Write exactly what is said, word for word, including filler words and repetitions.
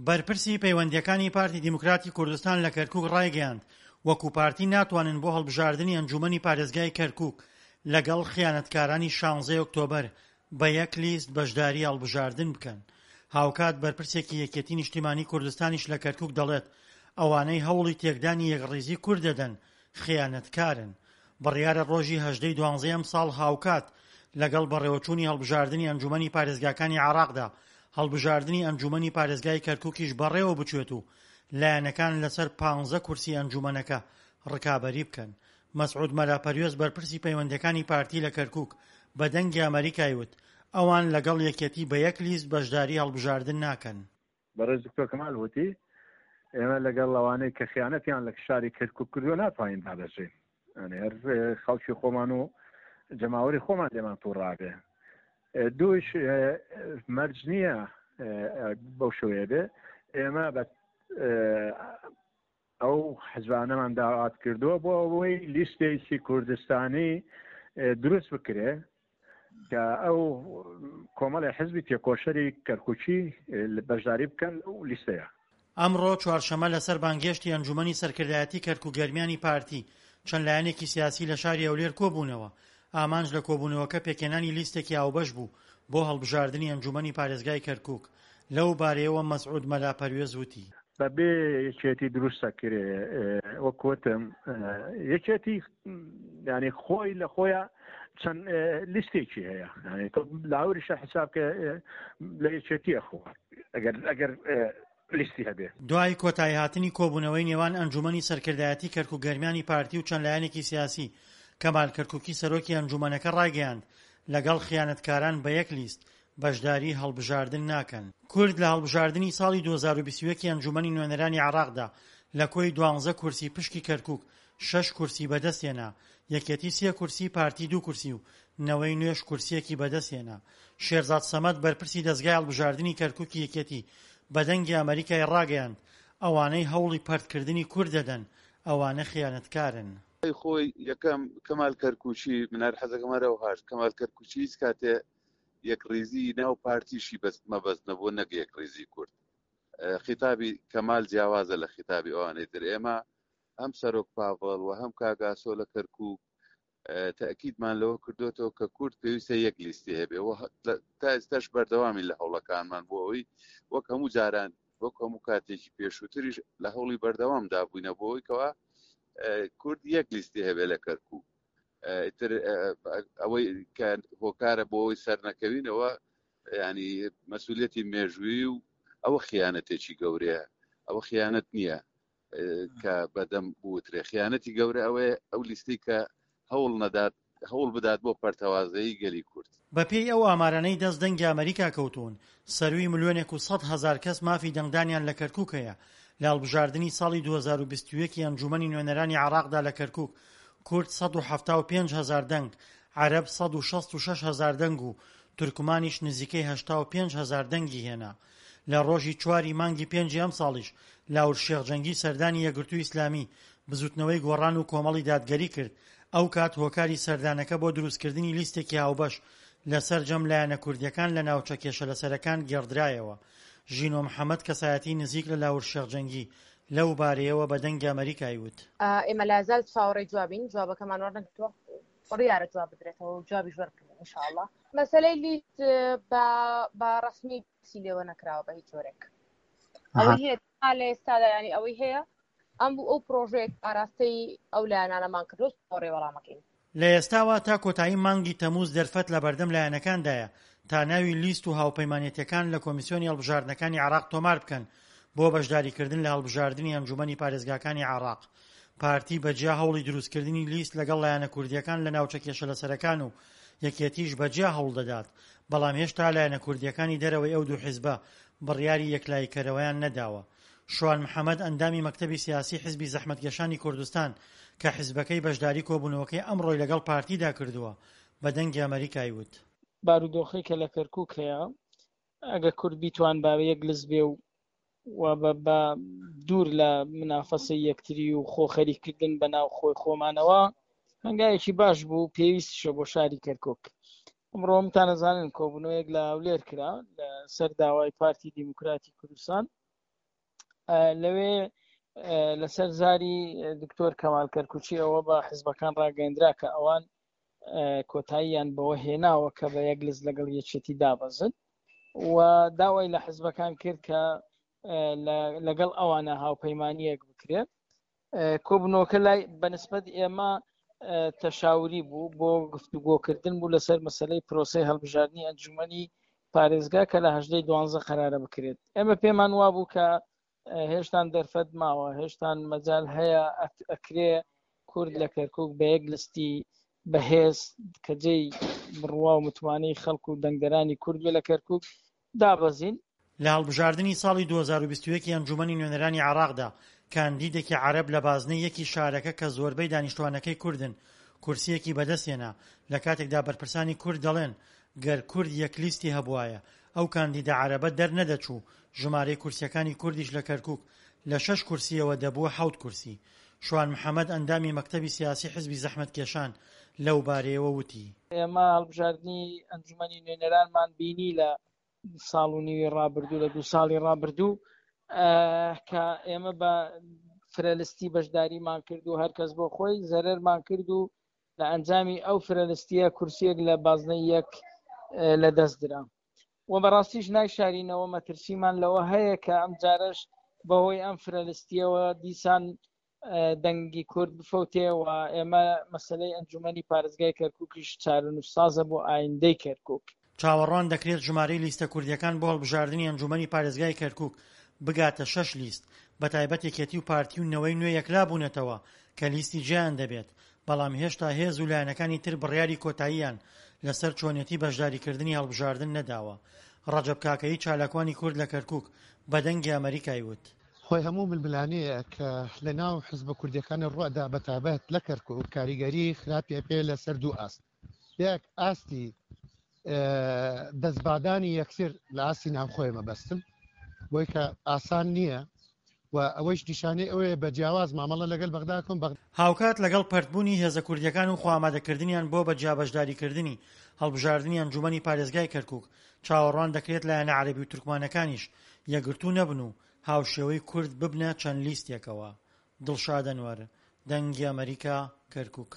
بەرپرسی پەیوەندییەکانی پارتی دیموکراتی کوردستان لە کەرکوک ڕایگەیاند، وەکو پارتی ناتوانن بۆ هەڵبژاردنی ئەنجومەنی پارێزگای کەرکوک لەگەڵ خیانەتکارانی شانزەی ئۆکتۆبەر بە یەک لیست بەشداری هەڵبژاردن بکەن. هاوکات بەرپرسێکی یەکێتی نیشتیمانی کوردستانیش لە کەرکوک دەڵێت، ئەوانەی هەوڵی تێکدانی یەکڕیزی کورد دەدەن خیانەتکارن. بڕیارە ڕۆژی هەژدە ی دوانزەی ئەمساڵ هاوکات لەگەڵ بەڕێوەچوونی هەڵبژاردنی ئەنجومەنی پارێزگاکانی عێراقدا هەڵبژاردنی ئەنجومەنی پارێزگای کەرکوکیش بەڕێوە بچێت و لایەنەکان لەسەر پانزە کورسی ئەنجومەنەکە ڕکابەری بکەن. مەسعود مەلا پەروێز بەرپرسی پەیوەندیەکانی پارتی لە کەرکوک بە دەنگی ئەمەریکای وت ئەوان لەگەڵ یەکێتی بە یەک لیست بەشداری هەڵبژاردن ناکەن. بەڕێز دکتۆر کەمال وتی ئێمە لەگەڵ ئەوانەی کە خیانەتیان لە شاری کەرکوک کردووە ناتوانین دابەزین، یعنی هەر خەڵکی خۆمان و جەماوەری خۆمان لێمان تووڕابێ. دووش مەرج نییە بەو شێوەیە بێ. ئێمە بە ئەو حزبانەمان داوات کردووە بۆ ئەوەی لیستێکی کوردستانی دروست بکرێ کە ئەو کۆمەڵی حزبی تێکۆشەری کەرکوکی بەشداری بکەن لەو لیستەیە. ئەمڕۆ چوارشەممە لەسەر بانگهێشتی ئەنجومەنی سەرکردایەتی کەرکوک گەرمیانی پارتی چەند لایەنێکی سیاسی لە شاری هەولێر کۆبوونەوە، ئامانج لە کۆبوونەوەکە پێکهێنانی لیستێکی هاوبەش بوو بۆ هەڵبژاردنی ئەنجومەنی پارێزگای کەرکوک. لەو بارەیەوە مەسعود مەلا پەروێز وتی. بەبێ یەکێتی دروست دەکرێ، وەک وتم یەکێتی یعنی خۆی لە خۆیان چەند لیستێکی هەیە، یعنی تۆ لاوریشە حساب کە لە یەکێتیە خۆ ئەگەر ئەگەر لیستی هەبێ. دوای کۆتاییهاتنی کۆبوونەوەی نێوان ئەنجومەنی سەرکردایەتی کەرکوک گەرمیانی پارتی و چەند لایەنێکی سیاسی، کەمال کەرکوکی سەرۆکی ئەنجومەنەکە ڕایگەیاند، لەگەڵ خیانەتکاران بە یەک لیست بەشداری هەڵبژاردن ناکەن. کورد لە هەڵبژاردنی ساڵی دوو هەزار و بیست و یەک ی ئەنجومەنی نوێنەرانی عێراقدا لە کۆی دوانزە کورسی پشکی کەرکوک شەش کورسی بەدەستهێنا، یەکێتی سێ کورسی، پارتی دوو کورسی و نەوەی نوێش کورسییەکی بەدەستهێنا. شێرزاد سەمەد بەرپرسی دەزگای هەڵبژاردنی کەرکوکی یەکێتی بە دەنگی ئەمەریکای ڕاگەیاند، ئەوانەی هەوڵی پەرتکردنی کورد دەدەن ئەوانە خیانەتکارن. خۆی یەکەم کەمال کەرکوکی، من هەر حەزەکەم هەر ئەو هاش کەمال کەرکوکی هیچ کاتێ یەکڕیزی ناو پارتیشی بەس مەبەست نەبوو نەک یەکڕیزی کورد. خیتابی کەمال جیاوازە لە خیتابی ئەوانەی تر. ئێمە هەم سەرۆک پاڤڵ و هەم کاگاسۆ لە کەرکوک تەئکیدمان لەوە کردوێتەوە کە کورد پێویستە یەک لیستی هەبێ و تا ئێستاش بەردەوامی لە هەوڵەکانمان بۆ ئەوەی وەک هەموو جاران وەک هەموو کاتێکی پێشووتریش لە هەوڵی بەردەوامدا بووینە بۆ ئەوەی کەوا کورد یەک لیستی هەبێ لە کەرکوک. ئیتر ئەوەی کە هۆکارە بۆ ئەوەی سەرنەکەوینەوە ینی مەسئولیەتی مێژوویی و ئەوە خیانەتێکی گەورەیە، ئەوە خیانەت نییە کە بەدەم بوترێ. خیانەتی گەورە ئەوەیە ئەو لیستی کە هەوڵ نەدات، هەوڵ بدات بۆ پەرتەوازەیی گەلی کورد. بەپێی ئەو ئامارانەی دەست دەنگی ئەمەریکا کەوتوون، سەرووی ملیۆنێک و سەد هەزار کەس مافی دەنگدانیان لە کەرکوک هەیە. لە هەڵبژاردنی ساڵی دوو هەزار و بیست و یەک ی ئەنجومەنی نوێنەرانی عێراقدا لە کەرکوک، کورد سەد و حەفتا و پێنج هەزار دەنگ، عەرەب سەد و شەست و شەش هەزار دەنگ و تورکمانیش نزیکەی هەشتا و پێنج هەزار دەنگی هێنا. لە ڕۆژی چوار ی مانگی پێنجی ئەمساڵیش لاور شێخ جەنگی سەردانی یەکگرتووی ئیسلامی، بزوتنەوەی گۆڕان و کۆمەڵی دادگەری کرد، ئەوکات هۆکاری سەردانەکە بۆ دروستکردنی لیستێکی هاوبەش لە سەرجەم لایەنە کوردییەکان لە ناوچە کێشەلەسەرەکان گێڕدرایەوە. ژینۆ محەمەد کەسایەتی نزیک لە لاور شێخ جەنگی لەو بارەیەوە بە دەنگی ئەمەریکای وت. ئێمە لازال چاوەڕێی جوابین، جوابەکەمان وەرنەگرتووە، بڕیارە جواب بدرێتەوە و جوابیش وەربگرین ان شاء الله. مەسەلەی لیست بە بە ڕەسمی باسی لێوە نەکراوە بە هیچ جۆرێک. ئەوەی هەیە تا لە ئێستادا یانی ئەوەی هەیە ئەم بوو ئەو پرۆژەیە ئاراستەی ئەو لایەنانەمان کردووە چاوەڕێی وەڵامەکەین. لە ئێستاوە تا کۆتایی مانگی تەمووز دەرفەت لەبەردەم لایەنەکاندایە تا ناوی لیست و هاوپەیمانێتیەکان لە کۆمیسیۆنی هەڵبژاردنەکانی عێراق تۆمار بکەن بۆ بەشداریکردن لە هەڵبژاردنی ئەنجومەنی پارێزگاکانی عێراق. پارتی بە جیا هەوڵی دروستکردنی لیست لەگەڵ لایەنە کوردییەکان لە ناوچە کێشەلەسەرەکان و یەکێتیش بە جیا هەوڵ دەدات، بەڵام هێشتا لایەنە کوردییەکانی دەرەوەی ئەو دوو حیزبە بڕیاری یەکلاییکەرەوەیان نەداوە. شوان محەمەد ئەندامی مەکتەبی سیاسی حیزبی زەحمەتکێشانی کوردستان کە حیزبەکەی بەشداری کۆبوونەوەکەی ئەمڕۆی لەگەڵ پارتیدا کردووە بە دەنگی ئەمەریکای وت. بارودۆخەی کە لە کەرکوک هەیە ئەگە کورد بیتوان با یەک لز بێ و و بە بە دوور لە منافەسەی یەکتری و خۆ خەریککردن بە ناو خۆی خۆمانەوە هەنگاوێکی باش بوو پێویستیشە بۆ شاری کەرکوک. ئەمڕۆ هەمووتان ئەزانن کۆبوونەوەیەک لە هەولێر کرا لە سەر داوای پارتی دیموکراتی کوردستان. لەوێ لەسەر زاری دکتۆر کەمال کەرکوچی ئەوە بە حزبەکان ڕاگەیەندرا کە ئەوان کۆتاییان بەوە هێناوە کە بە یەک لست لەگەڵ یەکێتی دابەزن و داوای لە حزبەکان کرد کە لەگەڵ ئەوانە هاوپەیمانیەک بکرێت. کۆبنەوەکە لای بەنسبەت ئێمە تەشاوری بوو بۆ گفتوگۆکردن بوو لەسەر مەسلەی پرۆسەی هەڵبژاردنی ئەنجومەنی پارێزگا کە لە هەژدەی دوانزە قەرارە بکرێت. ئێمە پێمان وابوو کە هێشتان دەرفەت ماوە، هێشتان مەجال هەیە ئەکرێ کورد لە کەرکک بە یەک لستی بەهێز کە جێی بڕوا و متمانەی خەڵک و دەنگدەرانی کورد بێ لە کەرکک دابەزین. لە هەڵبژاردنی ساڵی دوو هەزار و بیست و یەک ی ئەنجومەنی نوێنەرانی عێراقدا کاندیدێکی عەرەب لە بازنەی یەکی شارەکە کە زۆربەی دانیشتوانەکەی کوردن کورسییەکی بەدەستهێنا، لە کاتێکدا بەرپرسانی کورد دەڵێن گەر کورد یەک لیستی هەبوایە ئەو کاندیدە عەرەبە دەرنەدەچوو، ژمارەی کورسییەکانی کوردیش لە کەرکوک لە شەش کورسییەوە دەبووە حەوت کورسی. شوان محەمەد ئەندامی مەکتەبی سیاسی حزبی زەحمەتکێشان لەو بارەیەوە وتی. ئێمە هەڵبژاردنی ئەنجومەنی نوێنەرانمان بینی لە ساڵ و نیوی ڕابردوو، لە دوو ساڵی ڕابردوو، کە ئێمە بە فرەلستی بەشداریمان کرد و هەر کەس بۆ خۆی زەرەرمان کرد و لە ئەنجامی ئەو فرەلستیە کورسیەک لە بازنەی یەک لە دەست درا. و بەڕاستیش نایشارینەوە مەترسیمان لەوە هەیە کە ئەم جارەش بەهۆی ئەم فرەلستیەوە دیسان دەنگی کورد بفەوتێ و ئێمە مەسلەی ئەنجومەنی پارێزگای کەرکووکیش چارەنووسسازە بۆ ئایندەی کەرکووک. چاوەڕوان دەکرێت ژمارەی لیستە کوردییەکان بۆ هەڵبژاردنی ئەنجومەنی پارێزگای کەرکووک بگاتە شەش لیست، بەتایبەت یەکێتی و پارتی و نەوەی نوێ یەکلابوونەتەوە کە لیستی جیایان دەبێت، بەڵام هێشتا هێز و لایەنەکانی تر بڕیاری کۆتاییان لەسەر چۆنیەتی بەشداریکردنی هەڵبژاردن نەداوە. ڕەجەب کاکەیی چالاکوانی کورد لە کەرکوک بە دەنگی ئەمەریکای وت. خۆی هەموو ململانێیەک کە لە ناو حزبە کوردیەکان ڕوئەدا بە تایبەت لە کەرکوک کاریگەری خراپی ئەبێ لە سەر دوو ئاست، یەک ئاستی دەستبادانی یەکتر لە ئاستی ناوخۆی مەبەستم بۆی کە ئاسان نییە و ئەوەیش نیشانەی ئەوەیە بە جیاواز مامەڵە لەگەل بەغدا کەن. بەغدا. هاوکات لەگەڵ پەرتبوونی هێزە کوردییەکان و خۆئامادەکردنیان بۆ بە جیا بەشداریکردنی هەڵبژاردنی ئەنجوومەنی پارێزگای کەرکوک، چاوەڕوان دەکرێت لایەنە عەرەبی و تورکمانەکانیش یەکگرتوو نەبن و هاوشێوەی کورد ببنە چەند لیستێکەوە. دڵشاد ئەنوەر، دەنگی ئەمەریکا، کەرکوک.